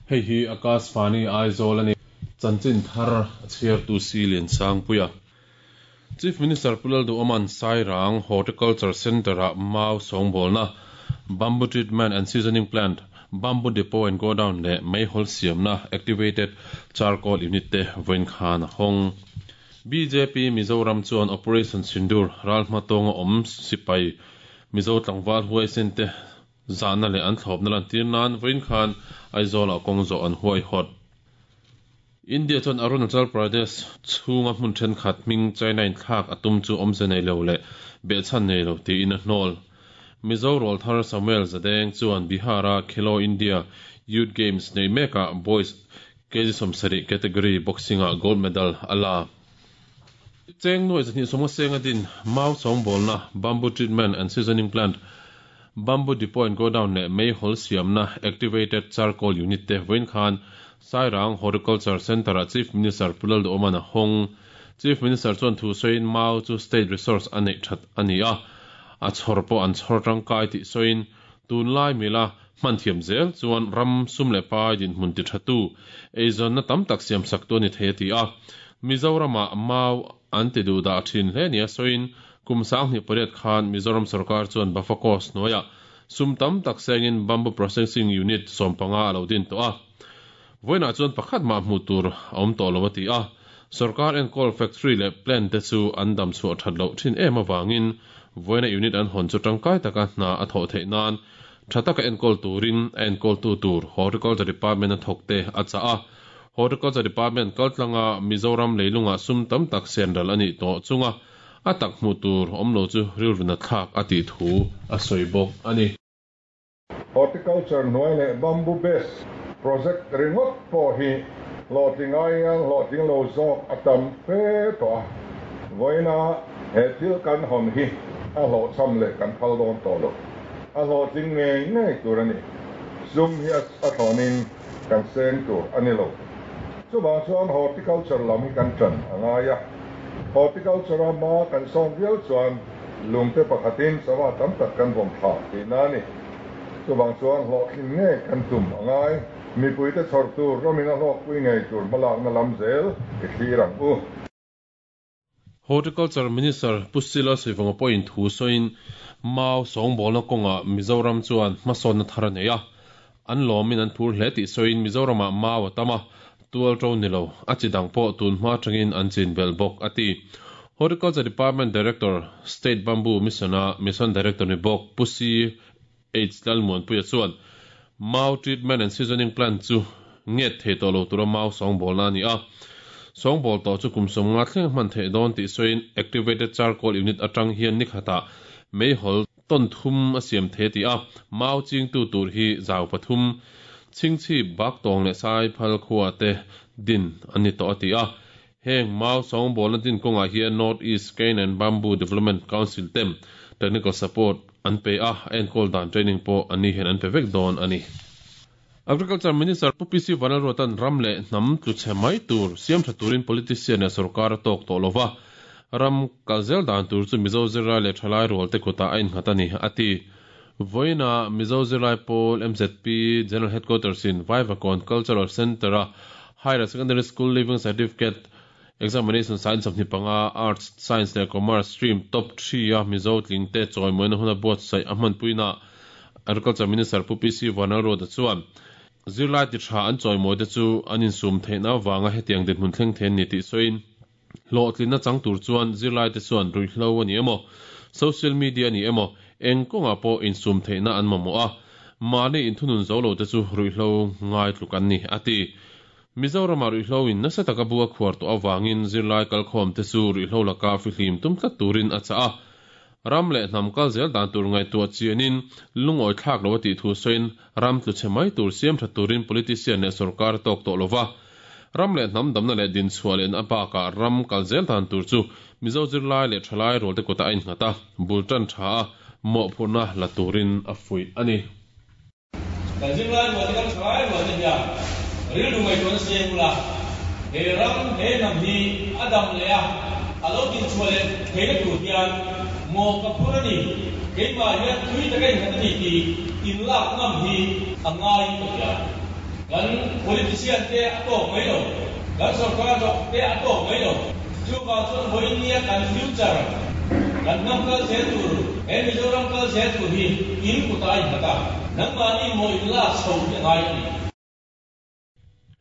Hei hi Akashvani Aizawl a ni. Chanchin thar a chhiartu si Liansangpuia. Chief Minister Pu Lalduhoma'n Sairang Horticulture Centre-ah mau sawngbawlna, Bamboo Treatment and Seasoning Plant, Bamboo Depot and Godown leh meihawl siamna Activated Charcoal Unit te vawiin khan a hawng. Bjp Mizoram chuan Operation Sindoor ral hmatawnga awm sipai Mizo tlangval huaisen te zahna leh an thlawpna lantir nan vawiin khan Aizawlah kawng zawh an huaihawt. India chuan Arunachal Pradesh chhunga hmun thenkhat hming China in thlak a tum chu awmze nei lo leh behchhan nei lo tiin a hnawl. Mizo rawlthar Samuel Zadeng chuan Bihar-a Khelo India Youth Games nei mekah Boys kg 70 category boxing-ah gold medal a la. Cheng nuai zahnih sawmnga senga din mau sawngbawlna, bamboo treatment and seasoning plant, Bamboo Depot and Godown leh meihawl siamna Activated Charcoal Unit te vawiin khan Sairang Horticulture Centre-ah Chief Minister Pu Lalduhoma'n a hawng. Chief Minister chuan thu sawiin mau chu state resource a neih that a ni a, a chhawr pawh an chhawr tangkai tih sawiin tunlai mila hman thiam zel chuan ram sum leh pai dinhmun ti thatu eizawnna tam tak siamsak tu a ni thei a ti a. Mizoramah mau an ti duh dah thin hle nia sawiin Kum 2008 khan Mizoram sorkar chuan Bafakos hnuaiah sum tam tak sengin Bamboo Processing Unit 15 a lo din tawh a. Vawiinah chuan pakhat mah hmuh tur a awm tawh lo a ti a. Sorkar enkawl factory leh plant te chu an dam chhuah that loh thin em avangin vawiina unit an hawn chu tangkai taka hna a thawh theih nan tha taka enkawl turin a enkawltu tur Horticulture Department a thawkte a chah a. Horticulture Department kaltlanga Mizoram leilungah sum tam tak senral a nih tawh chunga A tak hmuh tur awm lo chu rilru na thlak a tih thu a sawi bawk a ni. Horticulture hnuai leh bamboo based project ringawt pawh hi hlawhtling aiin hlawhtling lo zawk a tam fe tawh a, vawiina he thil kan hawn hi a hlawhchham leh kan phal dawn tawh lo. A hlawhtling ngei ngei tur a ni. Sum hi a thlawnin kan seng tur a ni lo. Chuvang chuan horticulture lam hi kan tan a ngai a. Horticulture-a hma kan sawn viau chuan lungte pakhatin sava tam tak kan vawm thla tihna a ni. Chuvang chuan hlawhtlin ngei kan tum a ngai. Mipuite chhawr tur ramin a hlawkpui ngei tur hmalakna lam zel i thlir ang u. Horticulture Minister Pu Sila Sivanga pawhin thu sawiin mau sawngbawlna kawngah Mizoram chuan hmasawnna thar a nei a, an lawmin an phur hle tih sawiin Mizoramah mau a tam a, tual to ni lo, a chi dang pawh tun hma atangin an chin belh bawk a ti. Horticulture Department Director, State Bamboo Mission-a Mission Director ni bawk Pu CH Lalmuanpuia chuan mau treatment and seasoning plant chu nget thei tawh lo tura mau sawngbawlna a ni a. Sawngbawl tawh chu kum 50 thleng a hman theih dawn tih sawiin activated charcoal unit atang hian ni khatah meihawl tawn thum a siam thei a ti a, mau chingtu tur hi zau pathum, chhingchhip, baktawng leh saiphal khua te din an ni tawh a ti a. Heng mau sawngbawlna din kawngah hian North East Cane and Bamboo Development Council tem technical support an pe a, a enkawl dan training pawh an ni hian an pe vek dawn a ni. Agriculture Minister Pu PC Vanlalruata'n ram leh hnam tlu chhe mai tur siam tha turin politician leh sorkar a tawk tawh lova, ram kal zel dan tur chu Mizo zirlai leh thalai rual te kutah a innghat a ni, a ti. Vawiina Mizo zirlai pawl MZP General Headquarters in Vaivakawn Cultural Centre-a Higher Secondary School Leaving Certificate Examination Science 25 Arts, Science leh Commerce stream top 3 a Mizo tlingte chawimawina huna buatsaih a hmanpuina Agriculture Minister Pu PC Vanlalruata chuan zirlai ti tha an chawimawite chu an insum theihna avanga hetiang dinhmun thleng thei an ni tih sawiin hlawhtlinna chang tur chuan zirlaite chuan ruihhlo a ni emaw, social media a ni emaw, eng kawngah pawh insum theihna an mamawh a, mahni inthunun zo lote chu ruihhlo ngai tluk an ni, a ti. Mizoramah ruihhlo in nasa taka bu a khuar tawh avangin zirlai kalkhawmte chu ruihhlo laka fihlim tum tlat turin a chah a. Ram leh hnam kal zel dan tur ngaihtuah chianin lungawi thlak lo a tih thu sawiin ram tlu chhe mai tur siam tha turin politician leh sorkar a tawk tawh lo va. Ram leh hnam damna leh dinchhuah lehna bakah ram kal zel dan tur chu Mizo zirlai leh thalai rualte kutah a innghat a, bul tan tha a, mawhphurhna la turin a fuih a ni. Kan zirlai rual te kan thalai rual te hian rilru ngaihtuahna siam ula, he ram, he hnam hi a dam leh a, a lo dinchhuah leh theihna tur hian mawh ka phur a ni, keimah hian tui taka innghat a ni tih inlak ngam hi a ngaiin ka hria. Kan politician te a tawk mai lo, kan sorkar dawk te a tawk mai lo. Chuvang chuan vawiin kan future, kan hnam kal zel tur, he Mizoram kal zel tur hi in kutah a innghat a, nangmahni maw in lak chho hi a ngai a ni.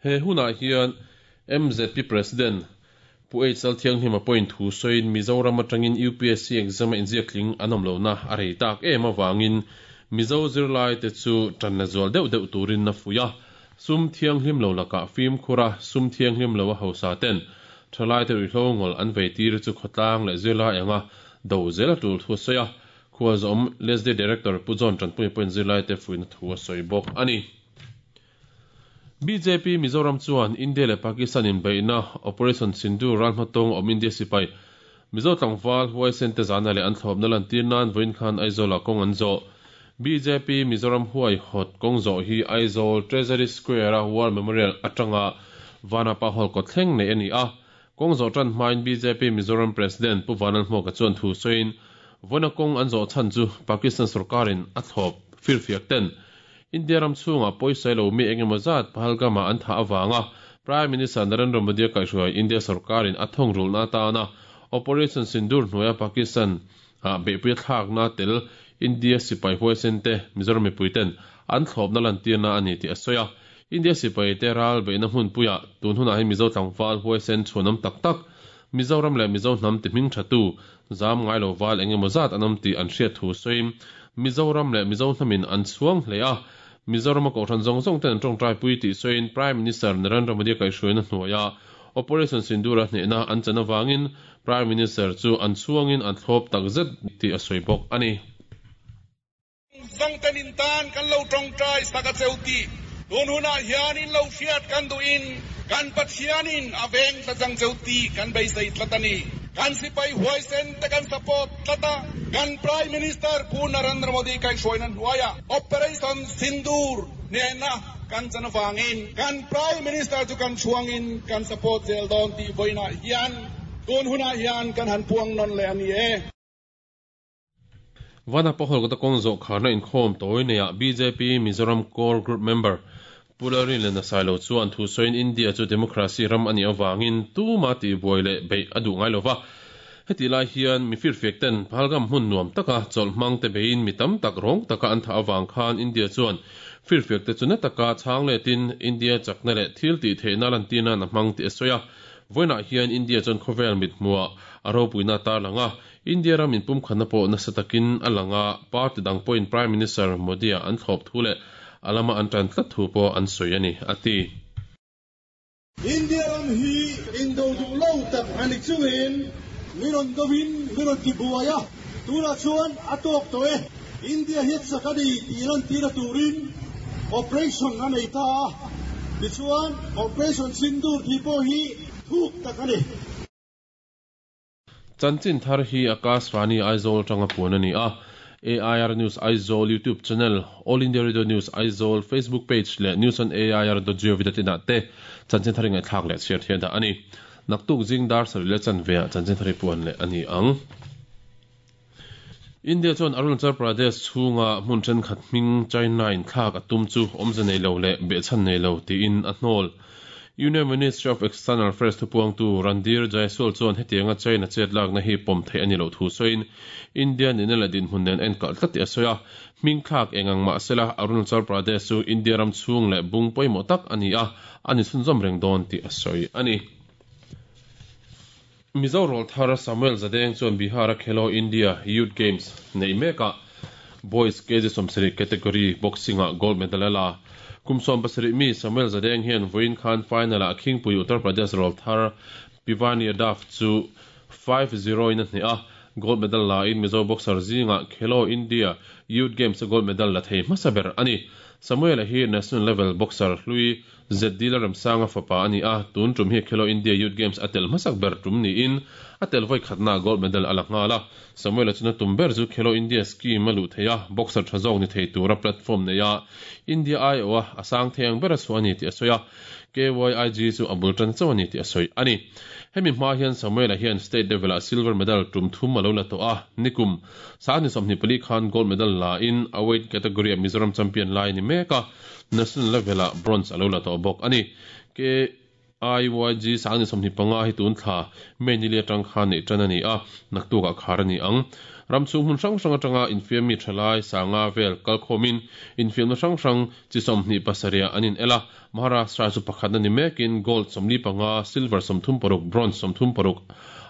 He hunah hian MZP President Pu H Lalthianghlima pawhin thu sawiin Mizoram atangin UPSC exam a inziak tling an awm lohna a rei tak em avangin Mizo zirlaite chu tan la zual deuh deuh turin a fuih a. Sum thianghlim lo lakah fimkhur a, sum thianghlim lo a hausa ten thalaite ruihhlo ngawl an vei tir chu khawtlang leh zirlai anga do zel a tul thu a sawi a. Khualzawm LSD Director Pu John Tanpuia pawhin zirlaite fuihna thu a sawi bawk a ni. Bjp Mizoram chuan India leh Pakistan inbeihna Operation Sindoor ral hmatawng awm India sipai Mizo tlangval huaisen te zana leh an thlawpna lantir nan vawiin khan Aizawl ah kawng an zawh. Bjp Mizoram huaihawt kawng zawh hi Aizawl Treasury Square a War Memorial atanga Vanapa Hall kawt thleng nei a ni a. Kawng zawh tan hmain bjp Mizoram President Pu Vanlalhmuaka chuan thu sawiin vawiina kawng an zawh chhan chu Pakistan sorkarin a thlawp firfiak ten India ram chhungah pawisa lo mi engemaw zat Pahalgam-ah an thah avanga Prime Minister Narendra Modi-a kaihhruai India sorkarin a thawng rulna atana Operation Sindoor hnuaia Pakistan ah beihpui a thlakna tel India sipai huaisen te Mizoram mipui ten an thlawpna lantirna a ni tih a sawi a. India sipai te ral beihna hmunpuiah tun hunah hi Mizo tlangval huaisen chhuanawm tak tak Mizoram leh Mizo hnam ti hming thatu zam ngai lo val engemaw zat an awm tih an hriat thu sawiin Mizoram leh Mizo hnamin an chhuang hle a, Mizorama kohhran zawng zawng ten an tawngtaipui tih sawiin Prime Minister Narendra Modi-a kaihhruaina hnuaia Operation Sindoor-a hnehna an chan avangin Prime Minister chu an chhuangin an thlawp takzet tih a sawi bawk a ni. Zawngten in tan kan lo tawngtai sak a cheu tih tun hunah hian in lo hriat kan duhin kan Pathianin a veng tlat ang cheu tih kan beisei tlat a ni. Kan sipai huaisen te kan support tlat a, kan Prime Minister Pu Narendra Modi kaihhruaina hnuaiah Operation Sindoor hnehna kan chan avangin kan Prime Minister chu kan chhuangin kan support zel dawn tih vawiinah hian tun hunah hian kan han puang nawn leh a ni e. Vana Pahol kawta kawng zawh kharna inkhawm tawi neiah bjp Mizoram Core Group member Pu Lalrinlena Sailo chuan thu sawiin India chu democracy ram a nih avangin tuma tihbuai leh beih a duh ngai lova. Hetih lai hian mi firfiak ten Pahalgam hmun nuam taka chawlh hmang te beiin mi tam tak rawng taka an thah avang khan India chuan firfiak te chu na taka chhang letin India chakna leh thil tih theihna lantir nan a hmang tih a sawi a. Vawiinah hian India chuan khawvel mithmuhah a ropuina a tarlang a, India ram inpumkhatna pawh nasa takin a lang a, party dang pawhin Prime Minister Modi-a an thlawp thu leh a lama an tan tlat thu pawh an sawi a ni, a ti. India ram hi indo duh lo tak a ni chungin mi rawn dovin mi rawn ti buai a, tunah chuan a tawk tawh e. India hi chak a ni tih lantir a turin operation a nei ta a, tichuan Operation Sindoor tih pawh hi thuk tak a ni. Chanchin thar hi Akashvani Aizawl atanga puan a ni a, AIR News Aizawl YouTube channel, All India Radio News Aizawl Facebook page leh News on AIR dot gov dot in ah te chanchin thar i ngaihthlak leh chhiar thian dah a ni. Naktuk zing dar sarih leh chanve ah chanchin thar i puan leh a ni ang. India chuan Arunachal Pradesh chhunga hmun thenkhat hming China in thlak a tum chu awmze nei lo leh behchhan nei lo tiin a hnawl. Union Ministry of External Affairs thupuangtu Randhir Jaiswal chuan hetianga China chet lakna hi pawm theih a ni loh thu sawiin India nihna leh dinhmun nen a enkalh tlat tih a sawi a. Hming thlak eng ang mah sela Arunachal Pradesh chu India ram chhung leh bung pawimawh tak a ni a, a ni chhunzawm reng dawn tih a sawi a ni. Mizo rawlthar Samuel Zadeng chuan Bihar-a Khelo India Youth Games neih mekah Boys kg 70 category boxing-ah gold medal a la. Kum 17 mi Samuel Zadeng hian vawiin khan final-ah Khingpui Uttar Pradesh rawlthar Pivani Yadav chu 5-0 in a hneh a, gold medal la in Mizo boxer zingah Khelo India Youth Games-a gold medal la thei hmasa ber a ni. Samuel-a hi national level boxer hlui ZD Lalremsanga fapa a ni a, tun tum hi Khelo India Youth Games a tel hmasak ber tum niin a tel vawi khatnaah gold medal a la nghal a. Samuel-a chuna tum ber chu Khelo India scheme a luh theih a, boxer tha zawk ni thei tura platform nei a, India aiawha a sang thei ang ber a chhuah a ni tih a sawi a, KYIG chu a bul tan chauh a ni tih a sawi a ni. Hemi hma hian Samuel-a hian state level-ah silver medal tum thum a lo la tawh a, nikum 24 khan gold medal la in a weight category-ah Mizoram champion lai a ni mek. mek a, national level-ah bronze a lo la tawh bawk a ni. KIYG 25 hi tun thla May nili atang khan neih tan a ni a, naktukah khar a ni ang. Ram chhung hmun hrang hrang atanga infiammi thalai sanga vel kalkhawmin infiamna hrang hrang chi 27 ah an in el a, Maharashtra chu pakhatna ni mekin gold 45, silver 36, bronze 36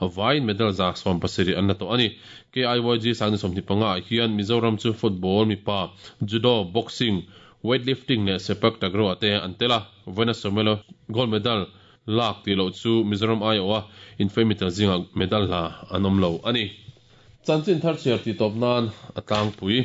vaiin medal 170 an la tawh a ni. KIYG 25 ah hian Mizoram chu football mipa, judo, boxing, weightlifting leh sepak takraw ah te an tel a, vawiina Samuel-a gold medal lak tih loh chu Mizoram aiawha infiammi tel zingah medal la an awm lo a ni. Chanchin thar chhiar tih tawp nan a tlangpui.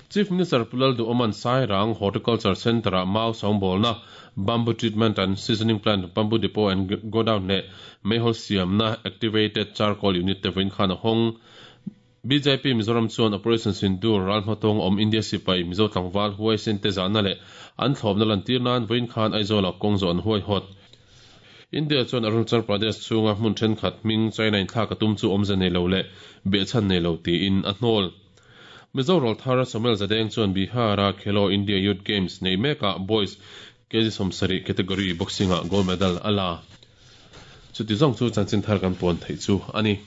Chief Minister Pu Lalduhoma'n Sairang Horticulture Centre-ah mau sawngbawlna, Bamboo Treatment and Seasoning Plant, Bamboo Depot and Godown leh Meihawl siamna Activated Charcoal Unit te vawiin khan a hawng. Bjp Mizoram chuan Operation Sindoor ral hmatawng awm India sipai Mizo tlangval huaisen te zahna leh an thlawpna lantir nan vawiin khan Aizawlah kawng zawh an huaihawt. India chuan Arunachal Pradesh chhunga hmun thenkhat hming China in thlak a tum chu awmze nei lo leh behchhan nei lo tiin a hnawl. Mizo rawlthar Samuel Zadeng chuan Bihar-a Khelo India Youth Games nei mekah Boys kg 70 category boxing-ah gold medal a la. Chuti zawng chu chanchin thar kan puan theih chu a ni.